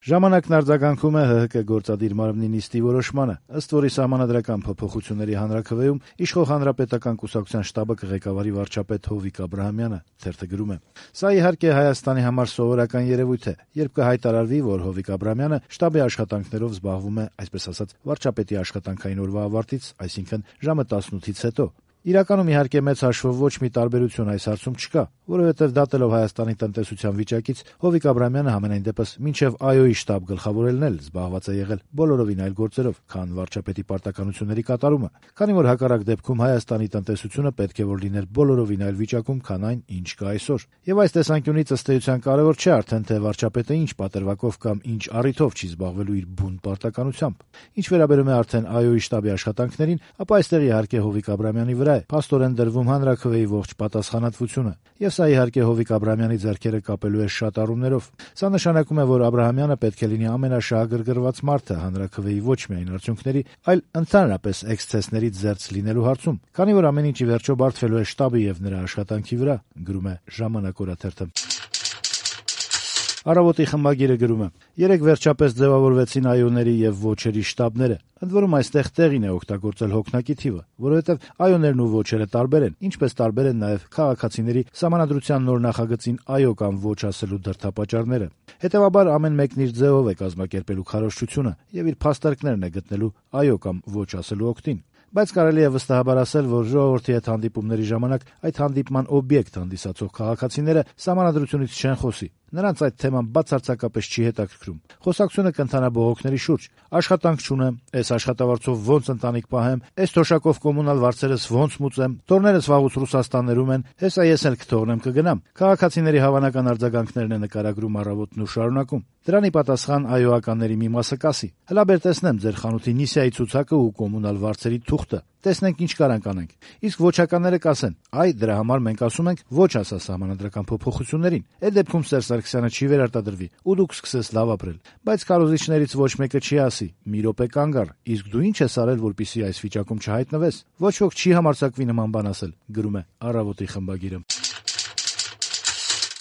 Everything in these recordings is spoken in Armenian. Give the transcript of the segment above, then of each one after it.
Ժամանակն արձագանքում է ՀՀԿ գործադիր մարմնի նիստի որոշմանը, ըստ որի սահմանադրական փոփոխությունների հանրաքվեում իշխող Հանրապետական կուսակցության շտաբը կղեկավարի վարչապետ Հովիկ Աբրահամյանը, թերթը գրում է. Սա իհարկե Հայաստանի համար սովորական երևույթ է, երբ կհայտարարվի, որ Հովիկ Աբրահամյանը շտաբի աշխատանքներով զբաղվում է, այսպես ասած, վարչապետի աշխատանքային օրվա ավարտից, այսինքն ժամը 18-ից հետո։ Իրականում իհարկե մեծ հաշվով ոչ մի տարբերություն այս հարցում չկա, որովհետև դատելով Հայաստանի տնտեսության վիճակից Հովիկ Աբրահամյանը համենայն դեպս մինչև ԱՅՈ-ի շտաբ գլխավորելն էլ զբաղված է եղել բոլորովին այլ գործերով, քան վարչապետի պարտականությունների կատարումը, քանի որ հակառակ դեպքում Հայաստանի տնտեսությունը պետք է որ լիներ բոլորովին այլ վիճակում, քան այն, ինչ կա այսօր։ Եվ այս տեսանկյունից ըստ էության կարևոր չէ արդեն թե վարչապետը ինչ պատրվակով կամ ինչ առիթով չի զբաղվելու իր բուն պարտականությամբ։ Ինչ վերաբերում է արդեն ԱՅՈ-ի շտաբի աշխատանքներին, ապա այստեղ իհարկե Հովիկ Աբրահամյանի վրա է փաստորեն դրվում հանրաքվեի ողջ պատասխանատվությունը, եւ սա իհարկե Հովիկ Աբրահամյանի ձեռքերը կապելու է շատ առումներով։ Սա նշանակում է, որ Աբրահամյանը պետք է լինի ամենաշահագրգռված մարդը հանրաքվեի ոչ միայն արդյունքների, այլ ընդհանրապես էքսցեսներից զերծ լինելու հարցում, քանի որ ամեն ինչ ի վերջո բարդվելու է շտաբի եւ նրա աշխատանքի վրա, գրում է Ժամանակ օրաթերթը։ Առավոտի խմբագիրը գրում է. երեկ վերջապես ձևավորվեցին ԱՅՈ-ների եւ ոչերի շտաբները։ Ընդ որում այստեղ տեղին է օգտագործել հոգնակի թիվը, որովհետեւ ԱՅՈ-ներն ու ոչերը տարբեր են, ինչպես տարբեր են նաեւ քաղաքացիների սահմանադրության նոր նախագծին ԱՅՈ կամ ոչ ասելու դրդապատճառները։ Հետևաբար ամեն մեկն իր ձևով է կազմակերպելու քարոզչությունը եւ իր փաստարկներն է գտնելու ԱՅՈ կամ ոչ ասելու օգտին։ Բայց կարելի է վստահաբար ասել, որ ժողովրդի հետ հանդիպումների ժամանակ այդ հանդիպման օբյեկտ հանդիսացող քաղաքացիները սահմանադրությունից չեն խոսի։ Նրանց այդ թեման բացարձակապես չի հետաքրքրում։ Խոսակցությունը կընթանա բողոքների շուրջ։ Աշխատանք չունեմ, այս աշխատավարձով ոնց ընտանիք պահեմ, այս թոշակով կոմունալ վարձերս ոնց մուծեմ, տորներս վաղուց Ռուսաստաններում են, հեսա ես էլ կթողնեմ կգնամ։ Քաղաքացիների հավանական արձագանքներն է նկարագրում Առավոտն ու շարունակում. Դրանի պատասխան ԱՅՈ-ականների մի մասը կասի. հլա բեր տեսնեմ ձեր խանութի նիսիայի ցուցակը ու կոմունալ վարձերի թուղթը, տեսնենք ինչ կարանք անենք։ Իսկ ոչականները կասեն. այ դրա համար մենք ասում ենք ոչ ասա սահմանադրական փոփոխություններին։ Այդ դեպքում Սերժ Սարգսյանը չի վերարտադրվի ու դուք սկսես լավ ապրել։ Բայց քարոզիչներից ոչ մեկը չի ասի. մի րոպե կանգ առ, իսկ դու ինչ ես արել, որպեսզի այս վիճակում չհայտնվես։ Ոչ ոք չի համարձակվի նման բան ասել, գրում է Առավոտի խմբագիրը։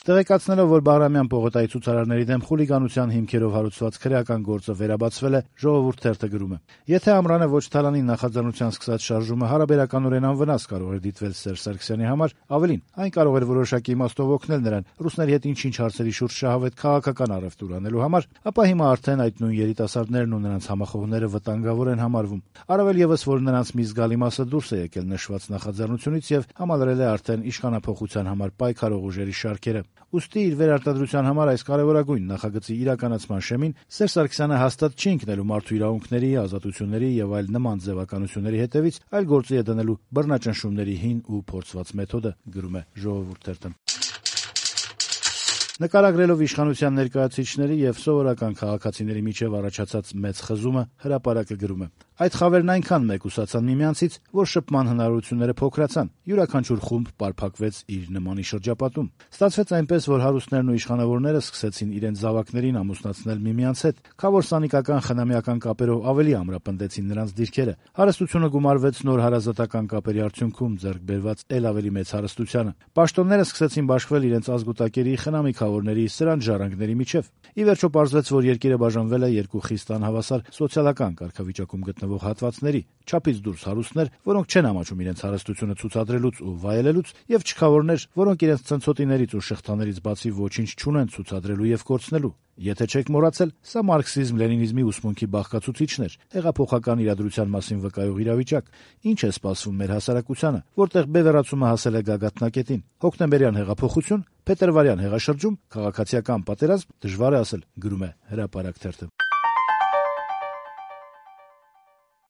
Տեղեկացնելով, որ Բաղրամյան պողոտայի ցուցարարների դեմ խուլիգանության հիմքերով հարուցված քրեական գործը վերաբացվել է, Ժողովուրդ թերթը գրում է. եթե Ամռանը ոչ Թալանի նախաձեռնության սկսած շարժումը հարաբերականորեն անվնաս կարող էր դիտվել Սերժ Սարգսյանի համար, ավելին, այն կարող էր որոշակի իմաստով օգնել նրան ռուսների հետ ինչ-ինչ հարցերի շուրջ շահավետ քաղաքական առևտուր անելու համար, ապա հիմա արդեն այդ նույն երիտասարդներն ու նրանց համախոհները վտանգավոր են համարվում։ Առավել եւս, որ նրանց մի զգալի մասը դուրս է եկել նշված նախաձեռնությունից եւ համալրել է արդեն իշխանափոխության համար պայքարող ուժերի շարքերը։ Ուստի իր վերարտադրության համար այս կարևորագույն նախագծի իրականացման շեմին Սերժ Սարգսյանը հաստատ չի ընկնելու մարդու իրավունքների, ազատությունների եւ այլ նման ձևականությունների հետևից, այլ գործի է դնելու բռնաճնշումների հին ու փորձված մեթոդը, գրում է Ժողովուրդ թերթը։ Նկարագրելով իշխանության ներկայացուցիչների եւ սովորական քաղաքացիների միջև առաջացած մեծ խզումը, Հրապարակը գրում է. այդ խավերն այնքան մեկուսացան միմյանցից, որ շփման հնարավորությունները փոքրացան։ Յուրաքանչյուր խումբ պարփակվեց իր նմանի շրջապատում։ Ստացվեց այնպես, որ հարուստներն ու իշխանավորները սկսեցին իրենց զավակներին ամուսնացնել միմյանց հետ, քավոր սանիկական խնամիական կապերով ավելի ամրապնդեցին նրանց դիրքերը։ Հարստությունը գումարվեց նոր հարազատական կապերի արդյունքում ձեռք բերված ել ավելի մեծ հարստությանը։ Պաշտոնները սկսեցին բաշխվել իրենց ազգուտակերի խնամիքավորների սրանց ժառանգների միջև։ Ի վերջո պարզվեց, որ երկիրը բաժանվել է երկու խիստ անհավասար սոցիալական կարգավիճակում գտնվող հատվածների, չափից դուրս հարուստներ, որոնք չեն ամաչում իրենց հարստությունը ցուցադրելուց ու վայելելուց, եւ չքավորներ, որոնք իրենց ցնցոտիներից ու շղթաներից բացի ոչինչ չունեն ցուցադրելու եւ կորցնելու։ Եթե չեք մոռացել, սա մարքսիզմ-լենինիզմի ուսմունքի բաղկացուցիչն էր, հեղափոխական իրադրության մասին վկայող իրավիճակ։ Ինչ է սպասվում մեր հասարակությանը, որտեղ բևեռացումը հասել է գագաթնակետին։ Հոկտեմբերյան հեղափոխություն, փետրվարյան հեղաշրջում, քաղաքացիական պատերազմ, դժվար է ասել, գրում է Հրապարակ թերթը։